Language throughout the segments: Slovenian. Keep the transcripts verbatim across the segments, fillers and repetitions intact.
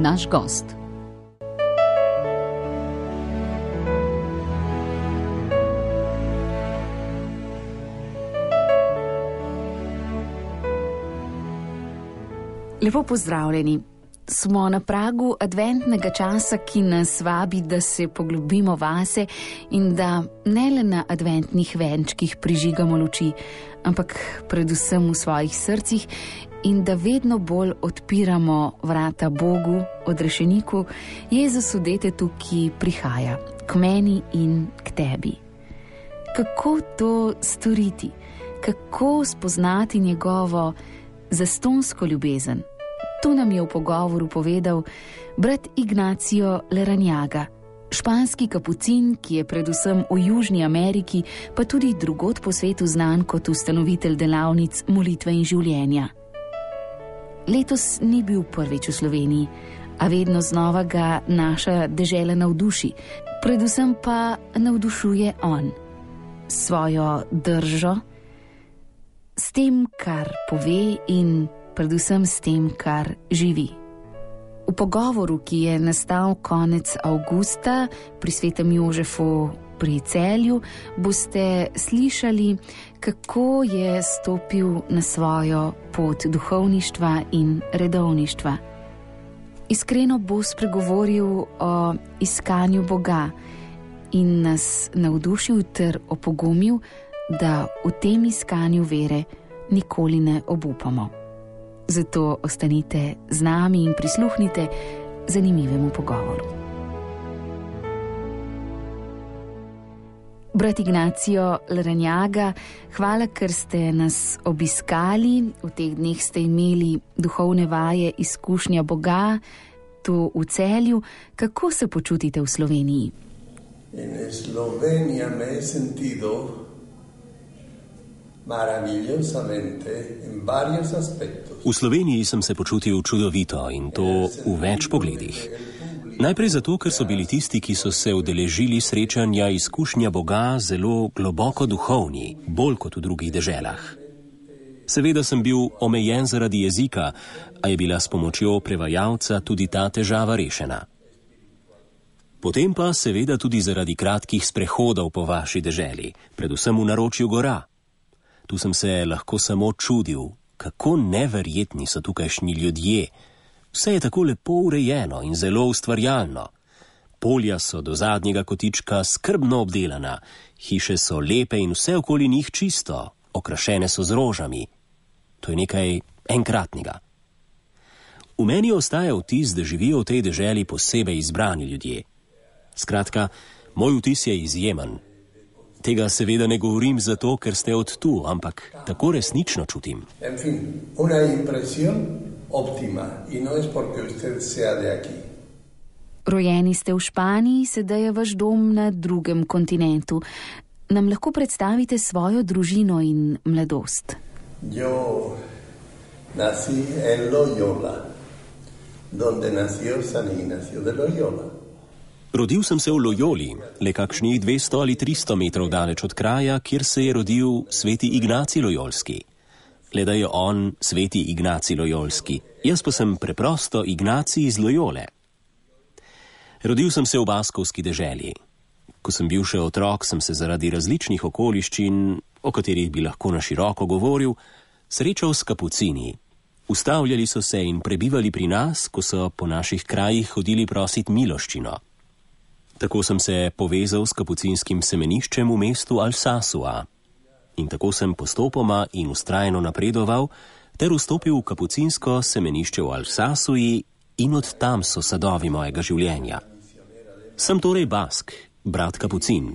naš gost. Lepo pozdravljeni. Smo na pragu adventnega časa, ki nas vabi, da se poglobimo vase in da ne le na adventnih venčkih prižigamo luči, ampak predvsem v svojih srcih in da vedno bolj odpiramo vrata Bogu, odrešeniku, Jezusu detetu, ki prihaja k meni in k tebi. Kako to storiti? Kako spoznati njegovo zastonsko ljubezen? To nam je v pogovoru povedal brat Ignacio Larrañaga, španski kapucin, ki je predvsem v Južni Ameriki, pa tudi drugod po svetu znan kot ustanovitelj delavnic molitve in življenja. Letos ni bil prvič v Sloveniji, a vedno znova ga naša dežela navduši, predvsem pa navdušuje on. Svojo držo, s tem, kar pove in predvsem s tem, kar živi. V pogovoru, ki je nastal konec avgusta pri svetem Jožefu pri Celju, boste slišali, kako je stopil na svojo pot duhovništva in redovništva. Iskreno bo spregovoril o iskanju Boga in nas navdušil ter opogumil, da v tem iskanju vere nikoli ne obupamo. Zato ostanite z nami in prisluhnite zanimivemu pogovoru. Brat Ignacio Larrañaga, hvala, ker ste nas obiskali. V teh dneh ste imeli duhovne vaje izkušnja Boga tu v Celju. Kako se počutite v Sloveniji? In Slovenija me je sentido maravillosamente en varios aspectos. V Sloveniji sem se počutil čudovito in to v več pogledih. Najprej zato, ker so bili tisti, ki so se udeležili srečanja izkušnja Boga, zelo globoko duhovni, bolj kot v drugih deželah. Seveda sem bil omejen zaradi jezika, a je bila s pomočjo prevajalca tudi ta težava rešena. Potem pa seveda tudi zaradi kratkih sprehodov po vaši deželi, predvsem v naročju gora. Tu sem se lahko samo čudil, kako neverjetni so tukajšnji ljudje. Vse je tako lepo urejeno in zelo ustvarjalno. Polja so do zadnjega kotička skrbno obdelana, hiše so lepe in vse okoli njih čisto, okrašene so z rožami. To je nekaj enkratnega. V meni ostaja vtis, da živijo v tej deželi posebej izbrani ljudje. Skratka, moj vtis je izjemen. Tega seveda ne govorim zato, ker ste od tu, ampak tako resnično čutim. En fin, una impresión óptima y no es porque usted sea de aquí. Rojeni ste v Španiji, sedaj je vaš dom na drugem kontinentu. Nam lahko predstavite svojo družino in mladost? Yo nací en Loyola, donde nació San Ignacio de Loyola. Rodil sem se v Loyoli, le kakšnih dvesto ali tristo metrov daleč od kraja, kjer se je rodil sveti Ignacij Lojolski. Le da je on sveti Ignacij Lojolski, jaz pa sem preprosto Ignacij iz Loyole. Rodil sem se v baskovski deželi. Ko sem bil še otrok, sem se zaradi različnih okoliščin, o katerih bi lahko na široko govoril, srečal s kapucini. Ustavljali so se in prebivali pri nas, ko so po naših krajih hodili prosit miloščino. Tako sem se povezal s kapucinskim semeniščem v mestu Alsasua. In tako sem postopoma in vztrajno napredoval, ter vstopil v kapucinsko semenišče v Alsasuji in od tam so sadovi mojega življenja. Sem torej Bask, brat kapucin.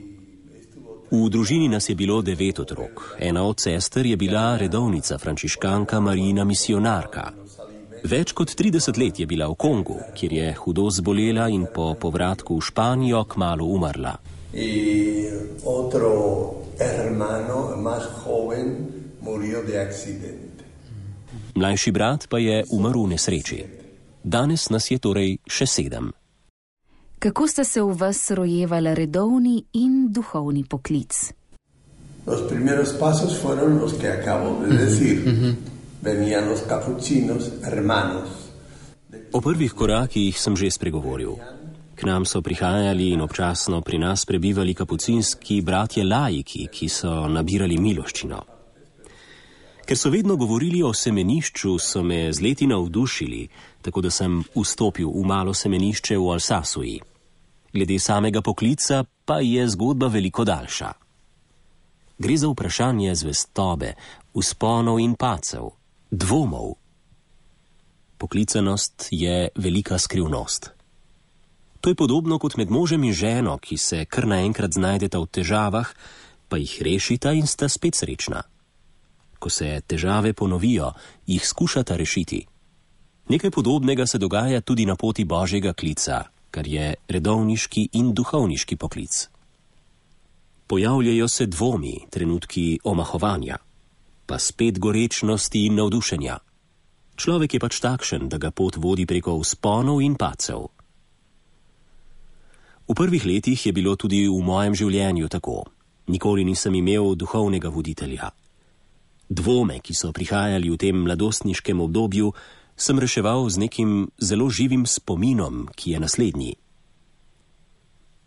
V družini nas je bilo devet otrok. Ena od sester je bila redovnica frančiškanka Marijina misionarka. Več kot trideset let je bila v Kongu, kjer je hudo zbolela in po povratku v Španijo kmalu umrla. Y otro hermano más joven murió de accidente. Mlajši brat pa je umrl v nesreči. Danes nas je torej še sedem. Kako sta se v vas rojevala redovni in duhovni poklic? Los primeros pasos fueron los que acabo de decir. Venían los capuchinos, hermanos. O prvih korakih sem že spregovoril. K nam so prihajali in občasno pri nas prebivali kapucinski bratje laiki, ki so nabirali miloščino. Ker so vedno govorili o semenišču, so me z leti navdušili, tako da sem vstopil v malo semenišče v Alsasuji. Glede samega poklica pa je zgodba veliko daljša. Gre za vprašanje zvestobe, vzponov in pacev, dvomov. Poklicanost je velika skrivnost. To je podobno kot med možem in ženo, ki se kar naenkrat znajdeta v težavah, pa jih rešita in sta spet srečna. Ko se težave ponovijo, jih skušata rešiti. Nekaj podobnega se dogaja tudi na poti Božjega klica, kar je redovniški in duhovniški poklic. Pojavljajo se dvomi, trenutki omahovanja, pa spet gorečnosti in navdušenja. Človek je pač takšen, da ga pot vodi preko vzponov in pacev. V prvih letih je bilo tudi v mojem življenju tako. Nikoli nisem imel duhovnega voditelja. Dvome, ki so prihajali v tem mladostniškem obdobju, sem reševal z nekim zelo živim spominom, ki je naslednji.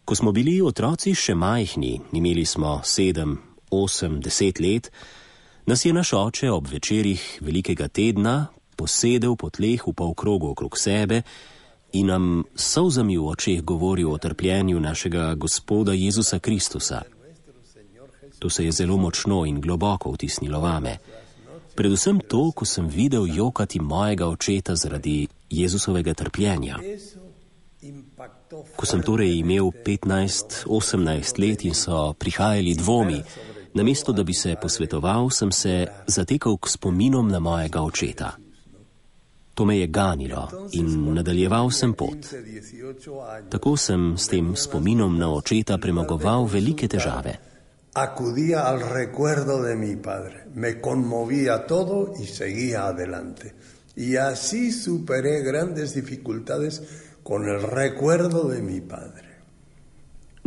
Ko smo bili otroci še majhni, imeli smo sedem, osem, deset let, nas je naš oče ob večerih velikega tedna posedel po tleh v polkrogu okrog sebe in nam s solzami v očeh govoril o trpljenju našega Gospoda Jezusa Kristusa. To se je zelo močno in globoko vtisnilo vame. Predvsem to, ko sem videl jokati mojega očeta zaradi Jezusovega trpljenja. Ko sem torej imel petnajst, osemnajst let in so prihajali dvomi, namesto da bi se posvetoval, sem se zatekal k spominom na mojega očeta. To me je ganilo in nadaljeval sem pot. Tako sem s tem spominom na očeta premagoval velike težave. Acudía al recuerdo de mi padre, me conmovía todo y seguía adelante. Y así superé grandes dificultades con el recuerdo de mi padre.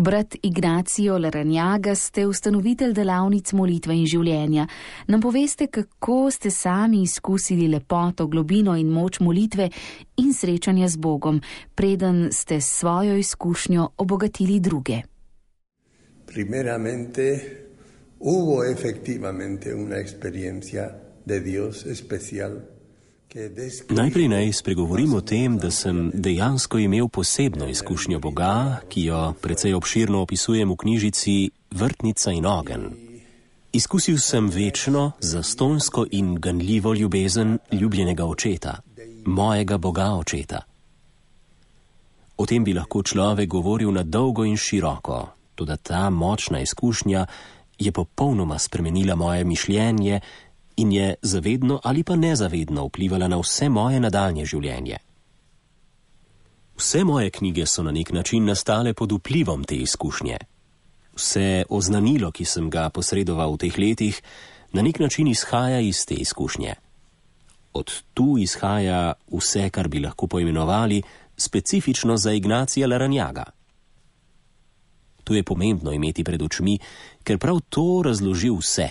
Brat Ignacio Larrañaga, ste ustanovitelj delavnic molitve in življenja. Nam poveste, kako ste sami izkusili lepoto, globino in moč molitve in srečanja z Bogom, preden ste s svojo izkušnjo obogatili druge. Primeramente, hubo efectivamente una experiencia de Dios especial. Najprej naj spregovorim o tem, da sem dejansko imel posebno izkušnjo Boga, ki jo precej obširno opisujem v knjižici Vrtnica in ogenj. Izkusil sem večno, zastonjsko in ganljivo ljubezen ljubljenega očeta, mojega Boga očeta. O tem bi lahko človek govoril na dolgo in široko, toda ta močna izkušnja je popolnoma spremenila moje mišljenje in je zavedno ali pa nezavedno vplivala na vse moje nadaljnje življenje. Vse moje knjige so na nek način nastale pod vplivom te izkušnje. Vse oznanilo, ki sem ga posredoval v teh letih, na nek način izhaja iz te izkušnje. Od tu izhaja vse, kar bi lahko poimenovali specifično za Ignacija Larrañaga. To je pomembno imeti pred očmi, ker prav to razloži vse.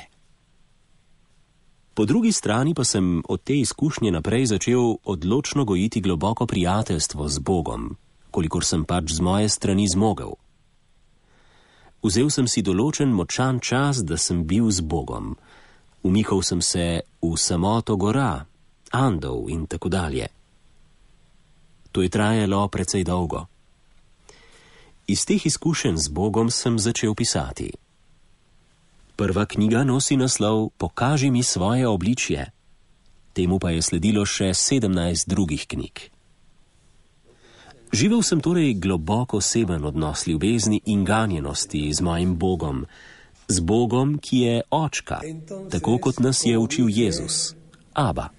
Po drugi strani pa sem od te izkušnje naprej začel odločno gojiti globoko prijateljstvo z Bogom, kolikor sem pač z moje strani zmogel. Vzel sem si določen močan čas, da sem bil z Bogom. Umikal sem se v samoto gora, Andov in tako dalje. To je trajalo precej dolgo. Iz teh izkušenj z Bogom sem začel pisati. Prva knjiga nosi naslov Pokaži mi svoje obličje. Temu pa je sledilo še sedemnajst drugih knjig. Živel sem torej globoko oseben odnos ljubezni in ganjenosti z mojim Bogom, z Bogom, ki je očka, tako kot nas je učil Jezus, Aba.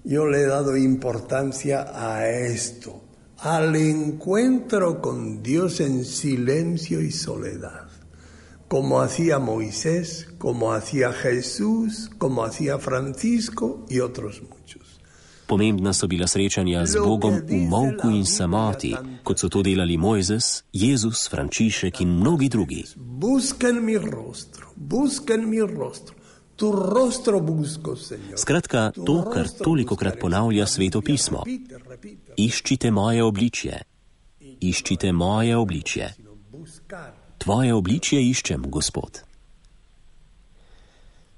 Yo le he dado importancia a esto, al encuentro con Dios en silencio y soledad. Como hacía Moisés, como hacía Jesús, como hacía Francisco y otros muchos. Pomembna so bila srečanja z Bogom v molku in samoti, kot so to delali Mojzes, Jezus, Frančišek in mnogi drugi. Busquen mi rostro, busquen mi rostro. Tu rostro busco, Señor. Skratka, to, kar tolikokrat ponavlja Sveto pismo. Iščite moje obličje. Iščite moje obličje. Tvoje obličje iščem, Gospod.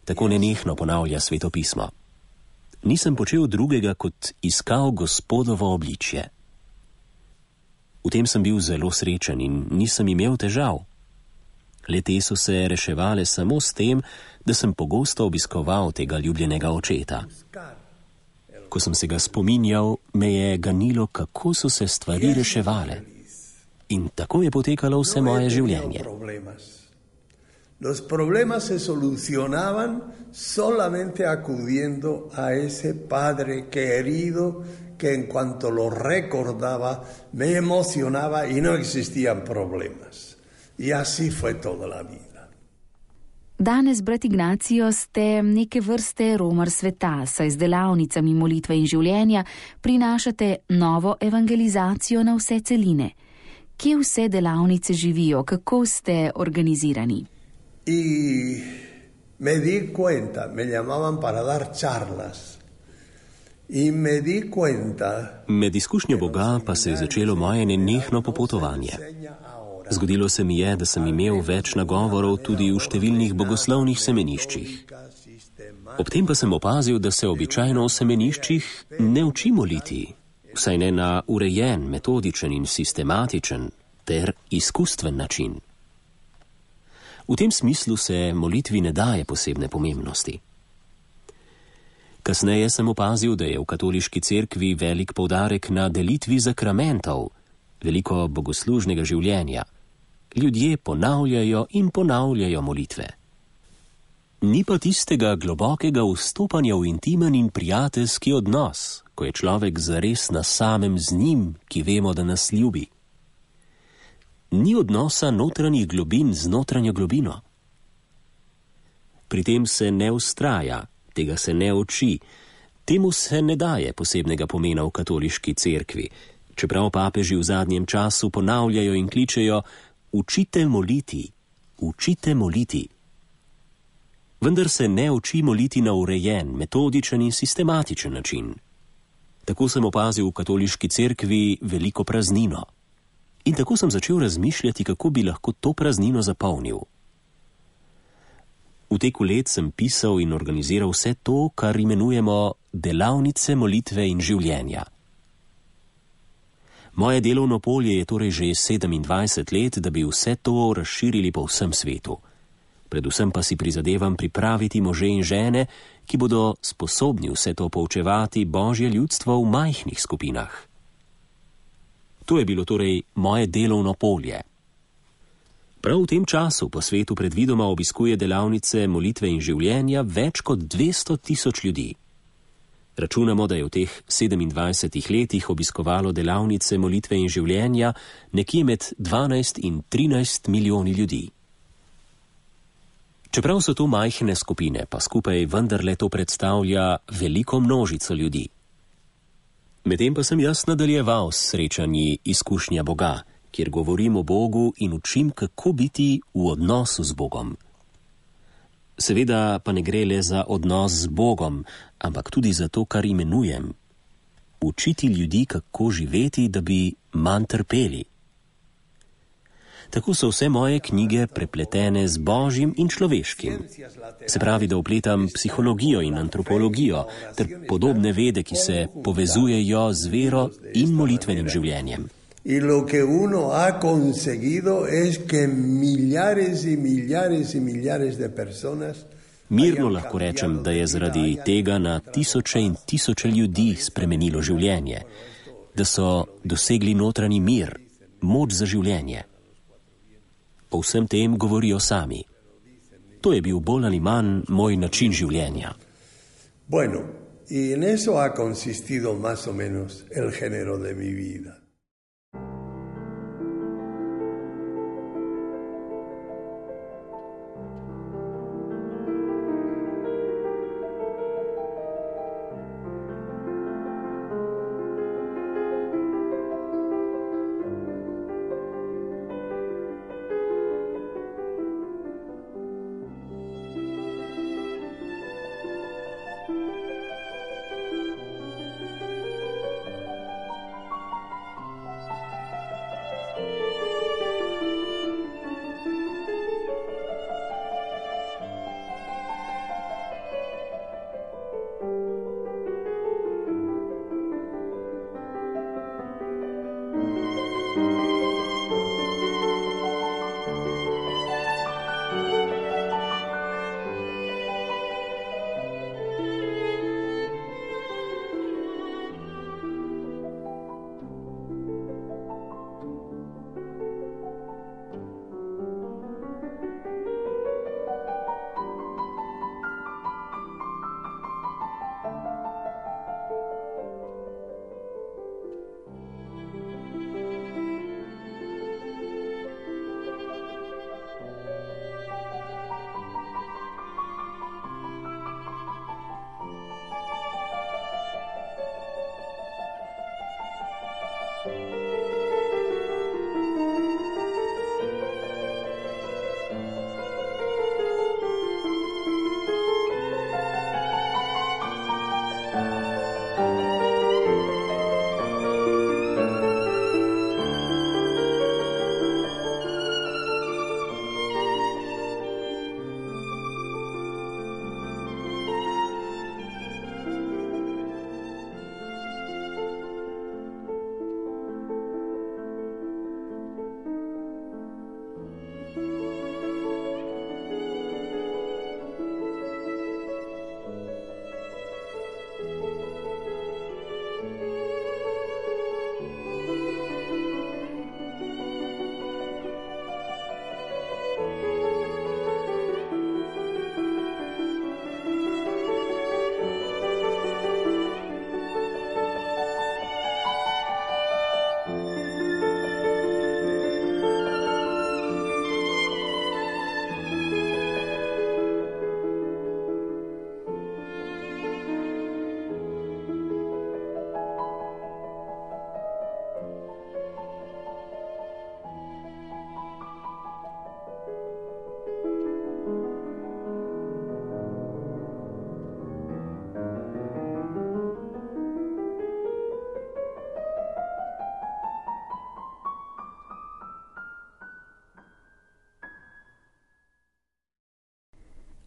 Tako nenehno ponavlja Sveto pismo. Nisem počel drugega, kot iskal Gospodovo obličje. V tem sem bil zelo srečen in nisem imel težav. Le te so se reševale samo s tem, da sem pogosto obiskoval tega ljubljenega očeta. Ko sem se ga spominjal, me je ganilo, kako so se stvari reševale. In tako je potekalo vse moje življenje. Los problemas se solucionaban solamente acudiendo a ese Padre querido que en cuanto lo recordaba me emocionaba y no existían problemas. Y así fue toda la vida. Danes, brat Ignacio, ste neke vrste romar sveta, saj z delavnicami molitve in življenja prinašate novo evangelizacijo na vse celine. Kje vse delavnice živijo, kako ste organizirani? Y me di cuenta, me llamaban para dar charlas. Y me di cuenta. Med izkušnjo Boga pa se je začelo moje nenehno popotovanje. Zgodilo se mi je, da sem imel več nagovorov tudi v številnih bogoslovnih semeniščih. Ob tem pa sem opazil, da se običajno v semeniščih ne uči moliti, vsaj ne na urejen, metodičen in sistematičen ter izkustven način. V tem smislu se molitvi ne daje posebne pomembnosti. Kasneje sem opazil, da je v katoliški cerkvi velik poudarek na delitvi zakramentov, veliko bogoslužnega življenja. Ljudje ponavljajo in ponavljajo molitve. Ni pa tistega globokega vstopanja v intimen in prijateljski odnos, ko je človek zares na samem z njim, ki vemo, da nas ljubi. Ni odnosa notranjih globin z notranjo globino. Pri tem se ne vztraja, tega se ne uči, temu se ne daje posebnega pomena v katoliški cerkvi, čeprav papeži v zadnjem času ponavljajo in kličejo: učite moliti, učite moliti. Vendar se ne uči moliti na urejen, metodičen in sistematičen način. Tako sem opazil v katoliški cerkvi veliko praznino. In tako sem začel razmišljati, kako bi lahko to praznino zapolnil. V teku let sem pisal in organiziral vse to, kar imenujemo delavnice molitve in življenja. Moje delovno polje je torej že sedemindvajset let, da bi vse to razširili po vsem svetu. Predvsem pa si prizadevam pripraviti može in žene, ki bodo sposobni vse to poučevati Božje ljudstvo v majhnih skupinah. To je bilo torej moje delovno polje. Prav v tem času po svetu predvidoma obiskuje delavnice molitve in življenja več kot dvesto tisoč ljudi. Računamo, da je v teh sedemindvajsetih letih obiskovalo delavnice molitve in življenja nekje med dvanajst in trinajst milijoni ljudi. Čeprav so to majhne skupine, pa skupaj vendarle to predstavlja veliko množico ljudi. Medtem pa sem jaz nadaljeval s srečanji izkušnja Boga, kjer govorim o Bogu in učim, kako biti v odnosu z Bogom. Seveda pa ne gre le za odnos z Bogom, ampak tudi za to, kar imenujem. Učiti ljudi, kako živeti, da bi manj trpeli. Tako so vse moje knjige prepletene z Božjim in človeškim. Se pravi, da vpletam psihologijo in antropologijo ter podobne vede, ki se povezujejo z vero in molitvenim življenjem. Y lo que uno ha conseguido es que millares y millares y millares de personas. Mirno lahko rečem, da je zaradi tega na tisoče in tisoče ljudi spremenilo življenje, da so dosegli notranji mir, moč za življenje. O vsem tem govorijo sami. To je bil bolj ali manj moj način življenja. Bueno, y en eso ha consistido más o menos el género de mi vida.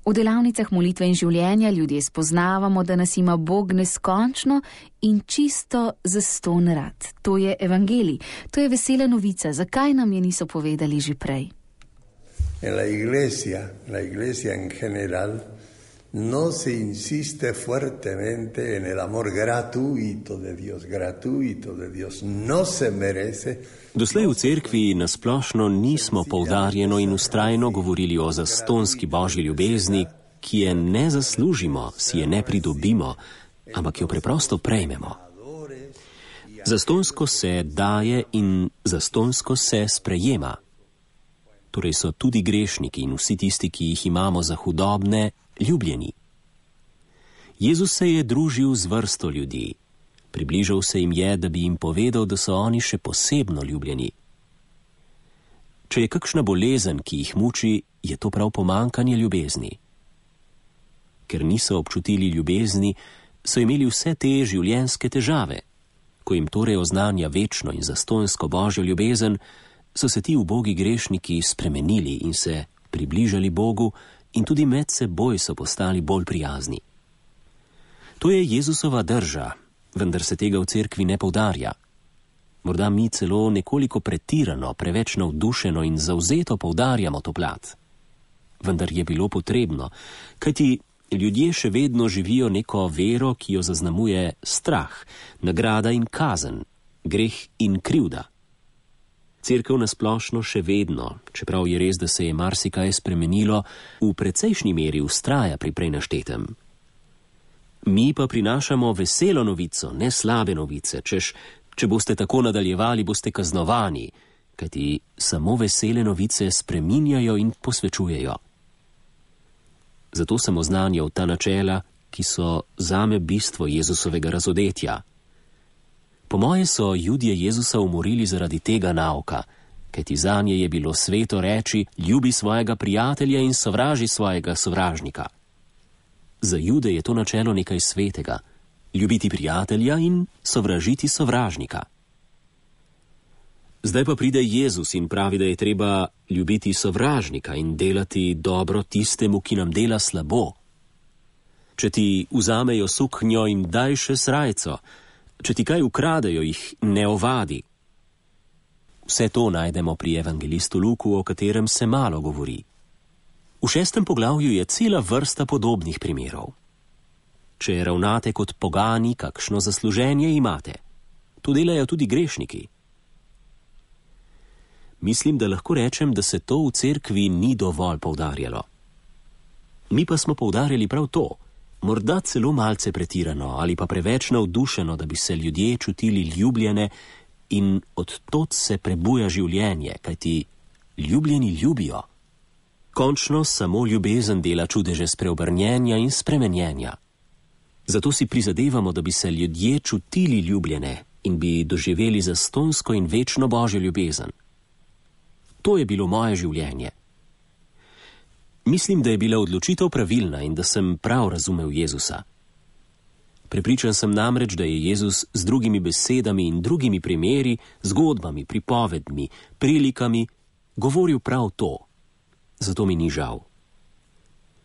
V delavnicah molitve in življenja ljudje spoznavamo, da nas ima Bog neskončno in čisto zastonj rad. To je evangelij, to je vesela novica. Zakaj nam je niso povedali že prej? En la iglesia, la iglesia en general, no se insiste fuertemente en el amor gratuito de Dios, gratuito de Dios, no se merece. Doslej v cerkvi nasplošno nismo poudarjeno in ustrajno govorili o zastonski božji ljubezni, ki je ne zaslužimo, si je ne pridobimo, ampak jo preprosto prejmemo. Zastonsko se daje in zastonsko se sprejema. Torej so tudi grešniki in vsi tisti, ki jih imamo za hudobne, ljubljeni. Jezus se je družil z vrsto ljudi. Približal se jim je, da bi jim povedal, da so oni še posebno ljubljeni. Če je kakšna bolezen, ki jih muči, je to prav pomanjkanje ljubezni. Ker niso občutili ljubezni, so imeli vse te življenjske težave. Ko jim torej oznanja večno in zastonjsko božjo ljubezen, so se ti ubogi grešniki spremenili in se približali Bogu in tudi med seboj so postali bolj prijazni. To je Jezusova drža, vendar se tega v cerkvi ne poudarja. Morda mi celo nekoliko pretirano, preveč navdušeno in zavzeto poudarjamo to plat. Vendar je bilo potrebno, kajti ljudje še vedno živijo neko vero, ki jo zaznamuje strah, nagrada in kazen, greh in krivda. Cerkev nasplošno še vedno, čeprav je res, da se je marsikaj spremenilo, v precejšnji meri vztraja pri prej naštetem. Mi pa prinašamo veselo novico, ne slabe novice, češ, če boste tako nadaljevali, boste kaznovani, kajti samo vesele novice spreminjajo in posvečujejo. Zato sem oznanjal ta načela, ki so zame bistvo Jezusovega razodetja. Po moje so Judje Jezusa umorili zaradi tega nauka, kajti zanje je bilo sveto reči, ljubi svojega prijatelja in sovraži svojega sovražnika. Za Jude je to načelo nekaj svetega, ljubiti prijatelja in sovražiti sovražnika. Zdaj pa pride Jezus in pravi, da je treba ljubiti sovražnika in delati dobro tistemu, ki nam dela slabo. Če ti vzamejo suknjo, jim daj še srajco, če ti kaj ukradejo, jih ne ovadi. Vse to najdemo pri evangelistu Luku, o katerem se malo govori. V šestem poglavju je cela vrsta podobnih primerov. Če ravnate kot pogani, kakšno zasluženje imate. To delajo tudi grešniki. Mislim, da lahko rečem, da se to v cerkvi ni dovolj poudarjalo. Mi pa smo poudarjali prav to, morda celo malce pretirano ali pa preveč navdušeno, da bi se ljudje čutili ljubljene in od tod se prebuja življenje, kajti ljubljeni ljubijo. Končno samo ljubezen dela čudeže spreobrnjenja in spremenjenja. Zato si prizadevamo, da bi se ljudje čutili ljubljene in bi doživeli zastonsko in večno božjo ljubezen. To je bilo moje življenje. Mislim, da je bila odločitev pravilna in da sem prav razumel Jezusa. Prepričan sem namreč, da je Jezus z drugimi besedami in drugimi primeri, zgodbami, pripovedmi, prilikami govoril prav to. Zato mi ni žal.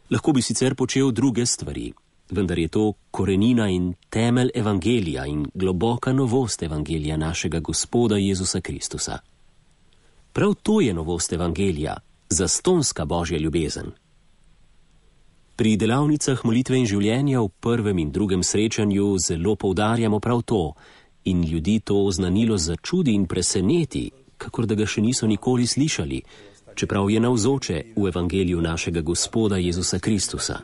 Lahko bi sicer počel druge stvari, vendar je to korenina in temelj evangelija in globoka novost evangelija našega Gospoda Jezusa Kristusa. Prav to je novost evangelija, zastonska božja ljubezen. Pri delavnicah molitve in življenja v prvem in drugem srečanju zelo poudarjamo prav to in ljudi to oznanilo začudi in preseneti, kakor da ga še niso nikoli slišali, čeprav je navzoče v evangeliju našega Gospoda Jezusa Kristusa.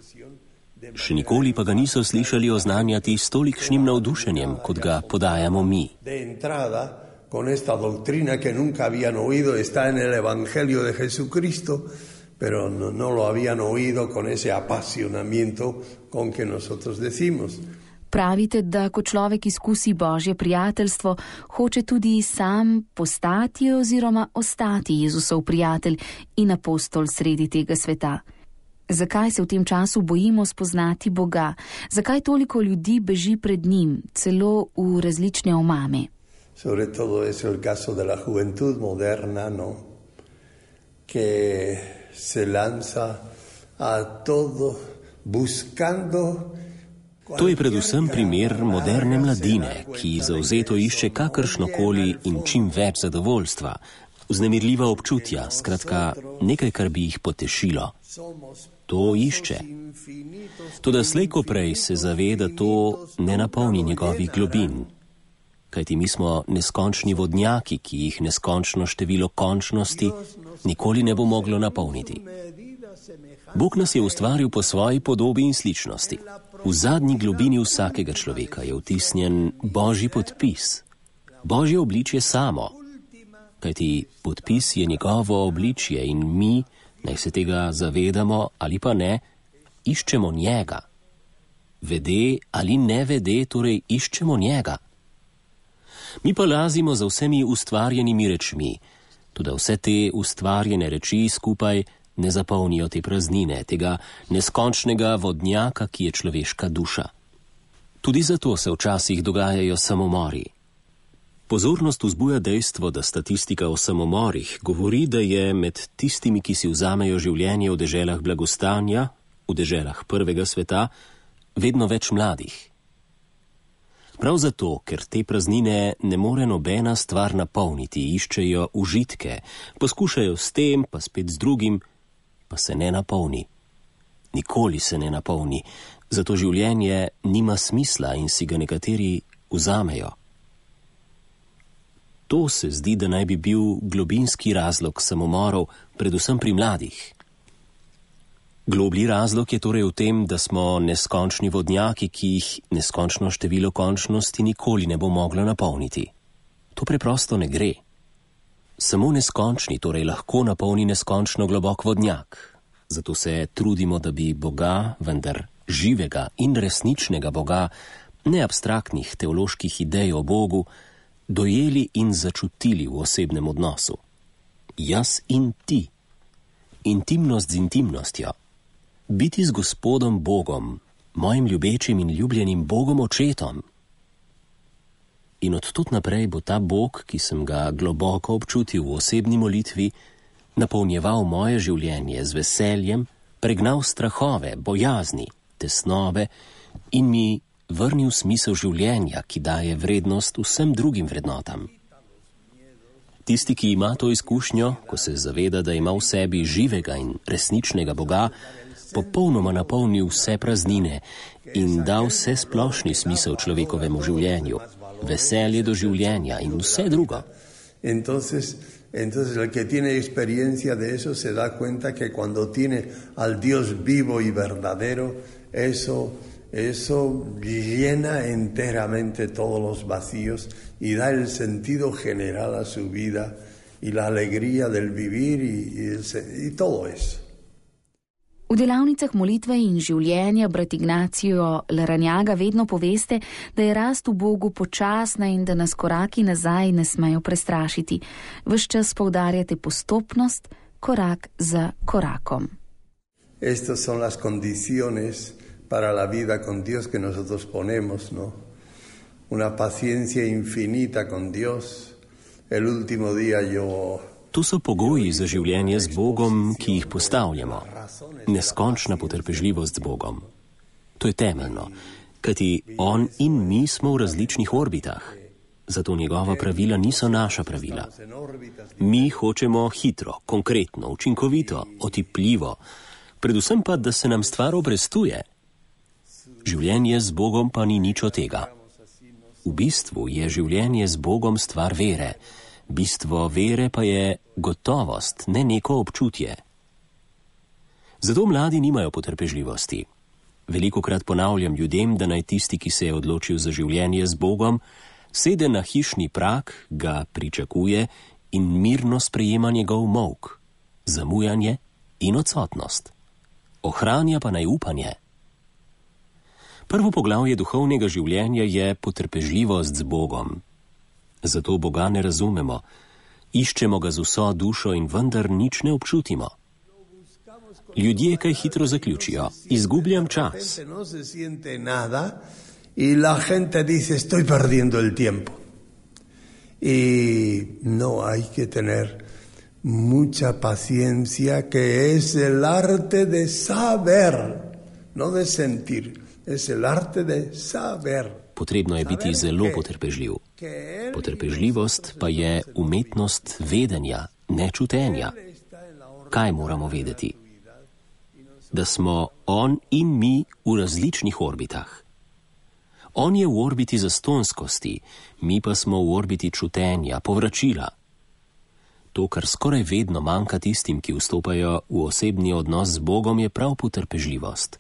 Še nikoli pa ga niso slišali oznanjati s tolikšnim navdušenjem, kot ga podajamo mi. Con esta doctrina que nunca habían oído, está en el Evangelio de Jesucristo, pero no, no lo habían oído con ese apasionamiento con que nosotros decimos. Pravite, da ko človek izkusi božje prijateljstvo, hoče tudi sam postati oziroma ostati Jezusov prijatelj in apostol sredi tega sveta. Zakaj se v tem času bojimo spoznati Boga? Zakaj toliko ljudi beži pred njim, celo v različne omame? Sobre todo es el caso de la juventud moderna, ¿no? Que se lanza a todo, buscando. To je predvsem primer moderne mladine, ki zavzeto išče kakršnokoli in čim več zadovoljstva, vznemirljiva občutja, skratka nekaj, kar bi jih potešilo. To išče. Toda slej ko prej se zave, da to ne napolni njegovih globin. Kajti mi smo neskončni vodnjaki, ki jih neskončno število končnosti nikoli ne bo moglo napolniti. Bog nas je ustvaril po svoji podobi in sličnosti. V zadnji globini vsakega človeka je vtisnjen Božji podpis, Božje obličje samo. Kajti podpis je njegovo obličje in mi, naj se tega zavedamo ali pa ne, iščemo njega. Vede ali ne vede, torej iščemo njega. Mi pa lazimo za vsemi ustvarjenimi rečmi, tudi vse te ustvarjene reči skupaj ne zapolnijo te praznine, tega neskončnega vodnjaka, ki je človeška duša. Tudi zato se včasih dogajajo samomori. Pozornost vzbuja dejstvo, da statistika o samomorih govori, da je med tistimi, ki si vzamejo življenje v deželah blagostanja, v deželah prvega sveta, vedno več mladih. Prav zato, ker te praznine ne more nobena stvar napolniti, iščejo užitke, poskušajo s tem, pa spet z drugim, pa se ne napolni. Nikoli se ne napolni, zato življenje nima smisla in si ga nekateri vzamejo. To se zdi, da naj bi bil globinski razlog samomorov, predvsem pri mladih. Globlji razlog je torej v tem, da smo neskončni vodnjaki, ki jih neskončno število končnosti nikoli ne bo moglo napolniti. To preprosto ne gre. Samo neskončni torej lahko napolni neskončno globok vodnjak. Zato se trudimo, da bi Boga, vendar živega in resničnega Boga, ne abstraktnih teoloških idej o Bogu, dojeli in začutili v osebnem odnosu. Jaz in ti. Intimnost z intimnostjo. Biti z Gospodom Bogom, mojim ljubečim in ljubljenim Bogom očetom. In od tod naprej bo ta Bog, ki sem ga globoko občutil v osebni molitvi, napolnjeval moje življenje z veseljem, pregnal strahove, bojazni, tesnobe in mi vrnil smisel življenja, ki daje vrednost vsem drugim vrednotam. Tisti, ki ima to izkušnjo, ko se zaveda, da ima v sebi živega in resničnega Boga, popolnoma napolnil vse praznine in dal vse splošni smisel človekovemu življenju, veselje do življenja in vse drugo. Entonces, entonces el que tiene experiencia de eso se da cuenta que cuando tiene al Dios vivo y verdadero, eso, eso llena enteramente todos los vacíos y da el sentido general a su vida y la alegría del vivir y, y, el, y todo eso. V delavnicah molitve in življenja brat Ignacio Larrañaga vedno poveste, da je rast v Bogu počasna in da nas koraki nazaj ne smejo prestrašiti. Ves čas poudarjate postopnost, korak za korakom. Estas son las condiciones para la vida con Dios que nosotros ponemos, ¿no? Una paciencia infinita con Dios. El último día yo... To so pogoji za življenje z Bogom, ki jih postavljamo. Neskončna potrpežljivost z Bogom. To je temeljno, kajti On in mi smo v različnih orbitah. Zato njegova pravila niso naša pravila. Mi hočemo hitro, konkretno, učinkovito, otipljivo, predvsem pa, da se nam stvar obrestuje. Življenje z Bogom pa ni nič od tega. V bistvu je življenje z Bogom stvar vere. Bistvo vere pa je gotovost, ne neko občutje. Zato mladi nimajo potrpežljivosti. Velikokrat ponavljam ljudem, da naj tisti, ki se je odločil za življenje z Bogom, sede na hišni prag, ga pričakuje in mirno sprejema njegov molk, zamujanje in odsotnost. Ohranja pa naj upanje. Prvo poglavje duhovnega življenja je potrpežljivost z Bogom. Zato Boga ne razumemo, iščemo ga z vso dušo in vendar nič ne občutimo. Ljudje kaj hitro zaključijo, izgubljam čas. In la gente dice, estoy perdiendo el tiempo. Y no, hay que tener mucha paciencia, que es el arte de saber, no de sentir, es el arte de saber. Potrebno je biti zelo potrpežljiv. Potrpežljivost pa je umetnost vedenja, ne čutenja. Kaj moramo vedeti? Da smo on in mi v različnih orbitah. On je v orbiti zastonskosti, mi pa smo v orbiti čutenja, povračila. To, kar skoraj vedno manjka tistim, ki vstopajo v osebni odnos z Bogom, je prav potrpežljivost.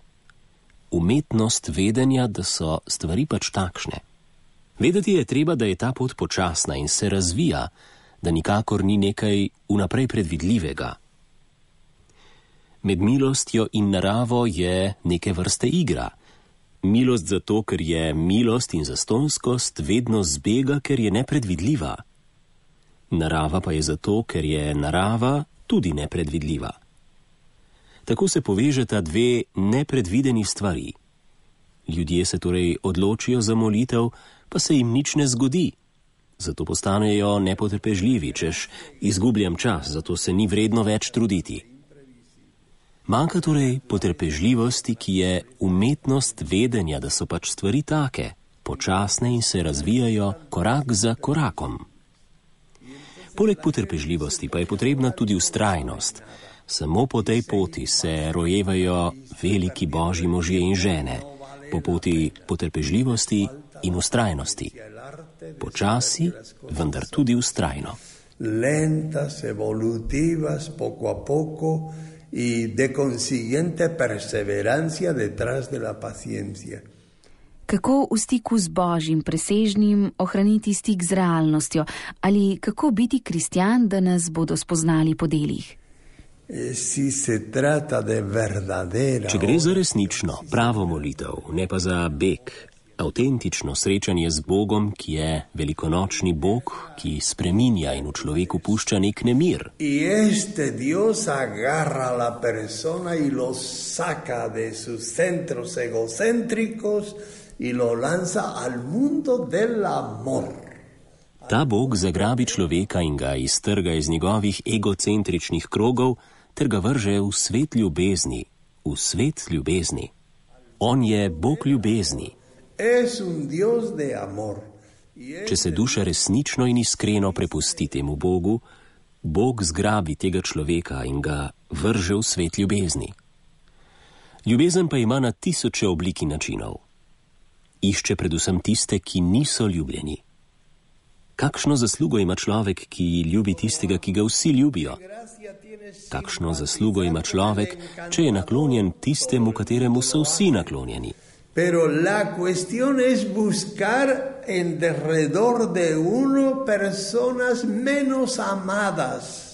Umetnost vedenja, da so stvari pač takšne. Vedeti je treba, da je ta pot počasna in se razvija, da nikakor ni nekaj vnaprej predvidljivega. Med milostjo in naravo je neke vrste igra. Milost zato, ker je milost in zastonskost vedno zbega, ker je nepredvidljiva. Narava pa je zato, ker je narava tudi nepredvidljiva. Tako se povežeta dve nepredvideni stvari. Ljudje se torej odločijo za molitev, pa se jim nič ne zgodi. Zato postanejo nepotrpežljivi, češ izgubljam čas, zato se ni vredno več truditi. Manjka torej potrpežljivosti, ki je umetnost vedenja, da so pač stvari take, počasne in se razvijajo korak za korakom. Poleg potrpežljivosti pa je potrebna tudi vztrajnost. Samo po tej poti se rojevajo veliki božji možje in žene, po poti potrpežljivosti in vztrajnosti. Počasi, vendar tudi vztrajno. Lentas, evolutivas, poco a poco y de consiguiente perseverancia detrás de la paciencia. Kako v stiku z Božjim presežnim ohraniti stik z realnostjo ali kako biti kristjan, da nas bodo spoznali po delih? Si se trata de verdadera. Če gre za resnično, pravo molitev, ne pa za beg, avtentično srečanje z Bogom, ki je velikonočni Bog, ki spreminja in v človeku pušča nek nemir. Y este Dios agarra a la persona y lo saca de sus centros egocéntricos y lo lanza al mundo del amor. Ta Bog zagrabi človeka in ga iztrga iz njegovih egocentričnih krogov ter ga vrže v svet ljubezni, v svet ljubezni. On je Bog ljubezni. Es un Dios de amor. Če se duša resnično in iskreno prepusti temu Bogu, Bog zgrabi tega človeka in ga vrže v svet ljubezni. Ljubezen pa ima na tisoče oblik in načinov. Išče predvsem tiste, ki niso ljubljeni. Kakšno zaslugo ima človek, ki ljubi tistega, ki ga vsi ljubijo? Kakšno zaslugo ima človek, če je naklonjen tistemu, kateremu so vsi naklonjeni? Pero la cuestión es buscar en derredor de uno personas menos amadas.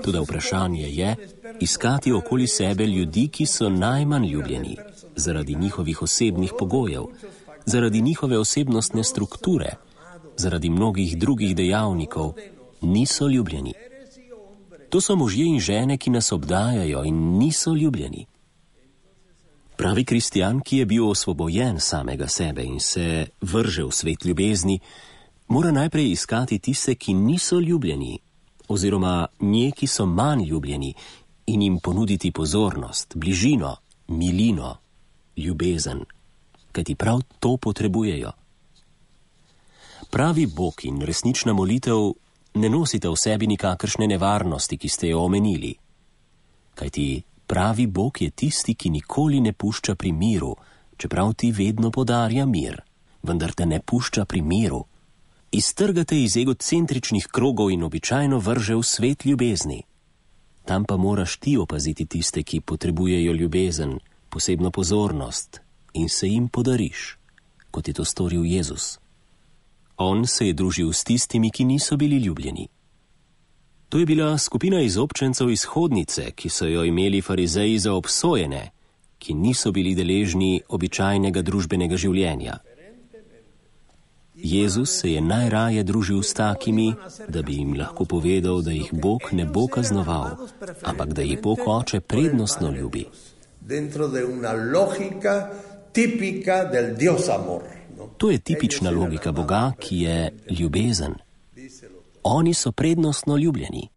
Toda vprašanje je iskati okoli sebe ljudi, ki so najmanj ljubljeni, zaradi njihovih osebnih pogojev, zaradi njihove osebnostne strukture, zaradi mnogih drugih dejavnikov, niso ljubljeni. To so možje in žene, ki nas obdajajo in niso ljubljeni. Pravi kristjan, ki je bil osvobojen samega sebe in se vrže v svet ljubezni, mora najprej iskati tiste, ki niso ljubljeni, oziroma nje, ki so manj ljubljeni, in jim ponuditi pozornost, bližino, milino, ljubezen, kajti prav to potrebujejo. Pravi Bog in resnična molitev ne nosita v sebi nikakršne nevarnosti, ki ste jo omenili, kajti pravi Bog je tisti, ki nikoli ne pušča pri miru, čeprav ti vedno podarja mir, vendar te ne pušča pri miru. Iztrgate iz egocentričnih krogov in običajno vrže v svet ljubezni. Tam pa moraš ti opaziti tiste, ki potrebujejo ljubezen, posebno pozornost in se jim podariš, kot je to storil Jezus. On se je družil s tistimi, ki niso bili ljubljeni. To je bila skupina izobčencev iz hodnice, ki so jo imeli farizeji za obsojene, ki niso bili deležni običajnega družbenega življenja. Jezus se je najraje družil s takimi, da bi jim lahko povedal, da jih Bog ne bo kaznoval, ampak da jih Bog Oče prednostno ljubi. To je tipična logika Boga, ki je ljubezen. Oni so prednostno ljubljeni.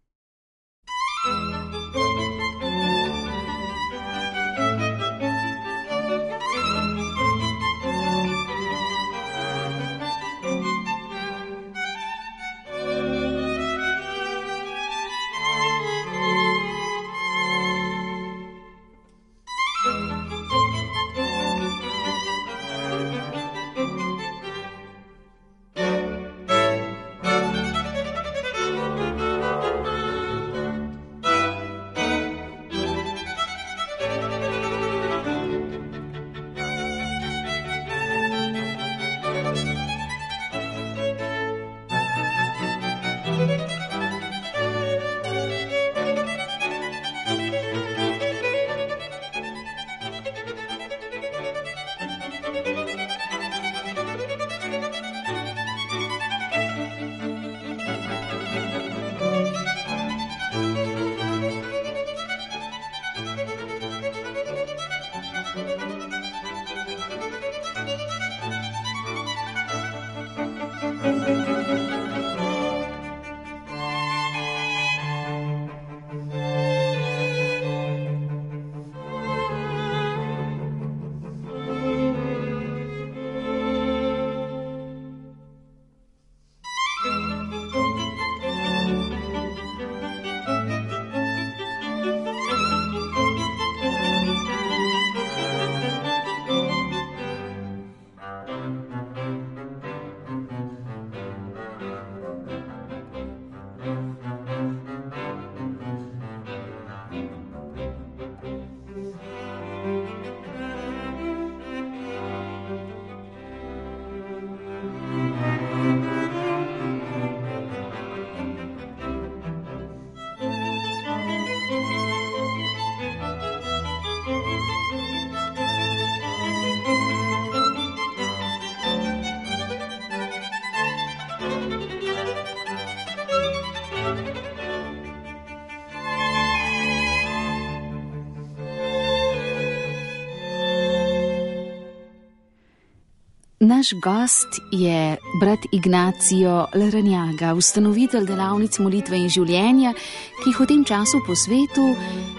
Naš gost je brat Ignacio Larrañaga, ustanovitelj delavnic molitve in življenja, ki jih v tem času po svetu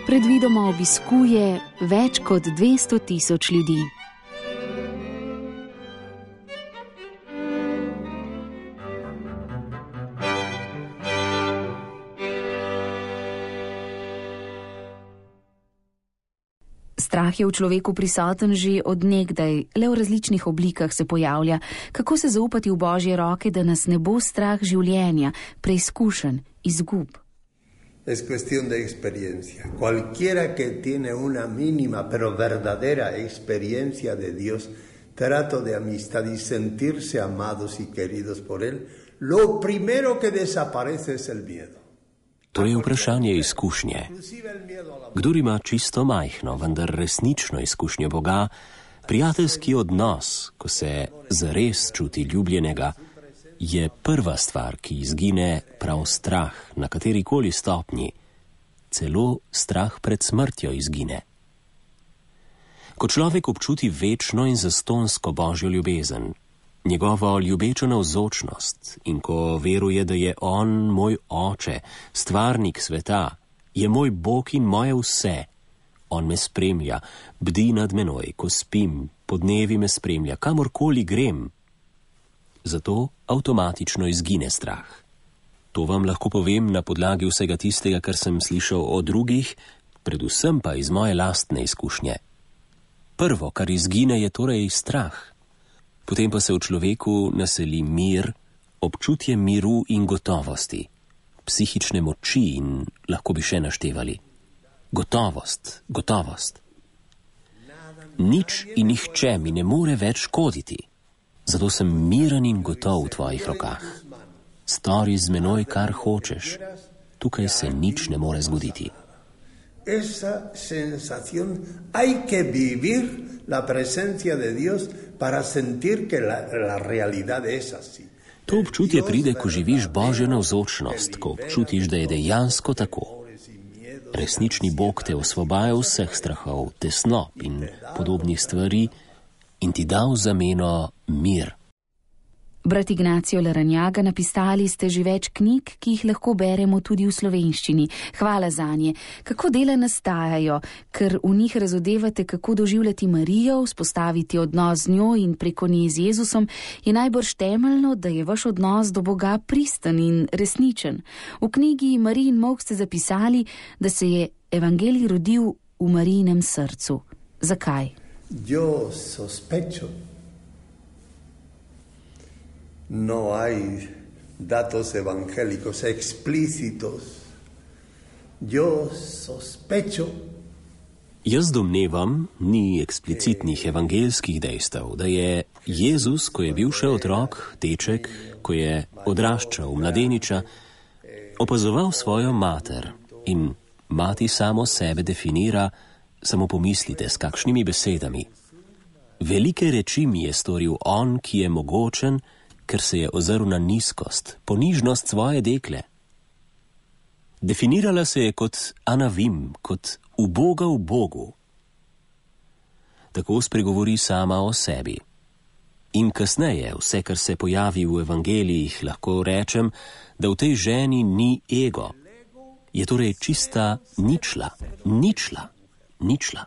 predvidoma obiskuje več kot dvesto tisoč ljudi. Strah je v človeku prisoten že od nekdaj, le v različnih oblikah se pojavlja. Kako se zaupati v Božje roke, da nas ne bo strah življenja, preizkušenj, izgub? Es cuestión de experiencia. Cualquiera que tiene una mínima pero verdadera experiencia de Dios, trato de amistad y sentirse amados y queridos por Él, lo primero que desaparece es el miedo. To je vprašanje izkušnje. Kdor ima čisto majhno, vendar resnično izkušnjo Boga, prijateljski odnos, ko se zares čuti ljubljenega, je prva stvar, ki izgine prav strah na katerikoli stopnji. Celo strah pred smrtjo izgine. Ko človek občuti večno in zastonsko Božjo ljubezen, njegovo ljubečo navzočnost in ko veruje, da je on moj oče, stvarnik sveta, je moj Bog in moje vse. On me spremlja, bdi nad menoj, ko spim, podnevi me spremlja, kamorkoli grem. Zato avtomatično izgine strah. To vam lahko povem na podlagi vsega tistega, kar sem slišal o drugih, predvsem pa iz moje lastne izkušnje. Prvo, kar izgine, je torej strah. Potem pa se v človeku naseli mir, občutje miru in gotovosti, psihične moči in lahko bi še naštevali. Gotovost, gotovost. Nič in nihče mi ne more več škoditi. Zato sem miren in gotov v tvojih rokah. Stori z menoj, kar hočeš. Tukaj se nič ne more zgoditi. Esa sensación hay que vivir la presencia de Dios para sentir que la, la realidad es así. To občutje pride, ko živiš Božjo navzočnost, ko občutiš, da je dejansko tako. Resnični Bog te osvobaja vseh strahov, tesnob in podobnih stvari in ti da v zameno mir. Brat Ignacio Larrañaga, napisali ste že več knjig, ki jih lahko beremo tudi v slovenščini. Hvala zanje. Kako dela nastajajo, ker v njih razodevate, kako doživljati Marijo, vzpostaviti odnos z njo in preko nje z Jezusom, je najbrž temeljno, da je vaš odnos do Boga pristen in resničen. V knjigi Marijin molk ste zapisali, da se je evangelij rodil v Marijinem srcu. Zakaj? Yo sospecho. No hay datos evangélicos explícitos. Yo sospecho. Jaz domnevam, ni eksplicitnih evangeljskih dejstev, da je Jezus, ko je bil še otrok, deček, ko je odraščal mladeniča, opazoval svojo mater in mati samo sebe definira, samo pomislite, s kakšnimi besedami. Velike reči mi je storil on, ki je mogočen, ker se je ozrl na nizkost, ponižnost svoje dekle. Definirala se je kot anavim, kot uboga v Bogu. Tako spregovori sama o sebi. In kasneje, vse, kar se pojavi v evangelijih, lahko rečem, da v tej ženi ni ego. Je torej čista ničla, ničla, ničla.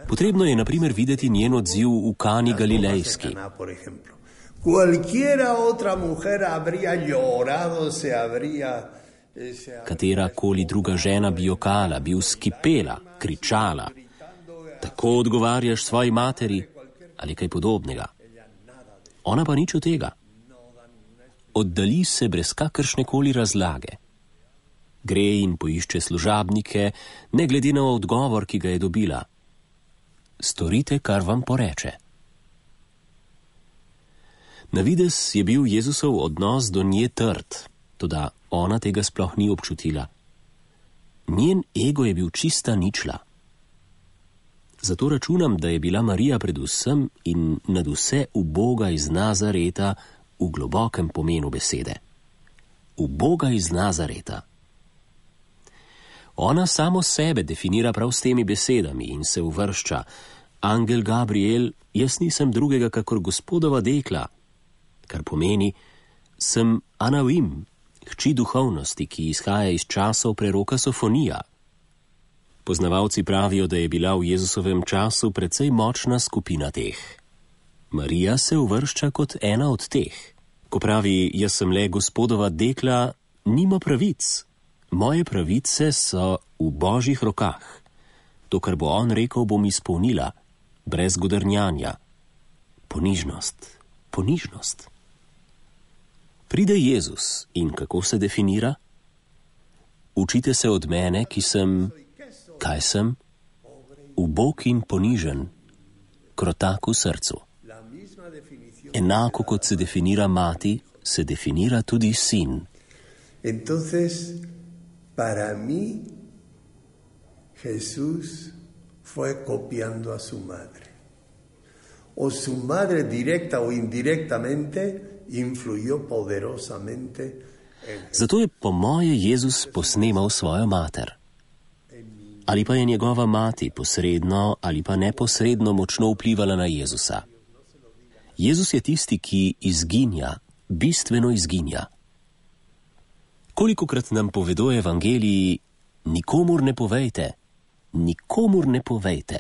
Potrebno je, na primer, videti njen odziv v Kani Galilejski. Cualquiera otra mujer habría llorado, se habría... Katera koli druga žena bi jokala, bi vzkipela, kričala. Tako odgovarjaš svoji materi ali kaj podobnega. Ona pa nič od tega. Oddali se brez kakršne koli razlage. Gre in poišče služabnike, ne glede na odgovor, ki ga je dobila. Storite, kar vam poreče. Na videz je bil Jezusov odnos do nje trd, toda ona tega sploh ni občutila. Njen ego je bil čista ničla. Zato računam, da je bila Marija predvsem in nad vse uboga iz Nazareta v globokem pomenu besede. Uboga iz Nazareta. Ona samo sebe definira prav s temi besedami in se uvršča: Angel Gabriel, jaz nisem drugega kakor Gospodova dekla, kar pomeni, sem Anavim, hči duhovnosti, ki izhaja iz časov preroka Sofonija. Poznavalci pravijo, da je bila v Jezusovem času precej močna skupina teh. Marija se uvršča kot ena od teh. Ko pravi, jaz sem le Gospodova dekla, nima pravic. Moje pravice so v Božjih rokah. To, kar bo on rekel, bom izpolnila, brez godrnjanja. Ponižnost, ponižnost. Pride Jezus in kako se definira? Učite se od mene, ki sem, kaj sem? Ubog in ponižen, krotak v srcu. Enako kot se definira mati, se definira tudi sin. Entonces, para mí, Jesús fue copiando a su madre. O su madre directa o indirectamente influyó poderosamente en... Zato je po moje Jezus posnemal svojo mater. Ali pa je njegova mati posredno ali pa neposredno močno vplivala na Jezusa. Jezus je tisti, ki izginja, bistveno izginja. Kolikokrat nam povedo evangeliji, nikomur ne povejte, nikomur ne povejte.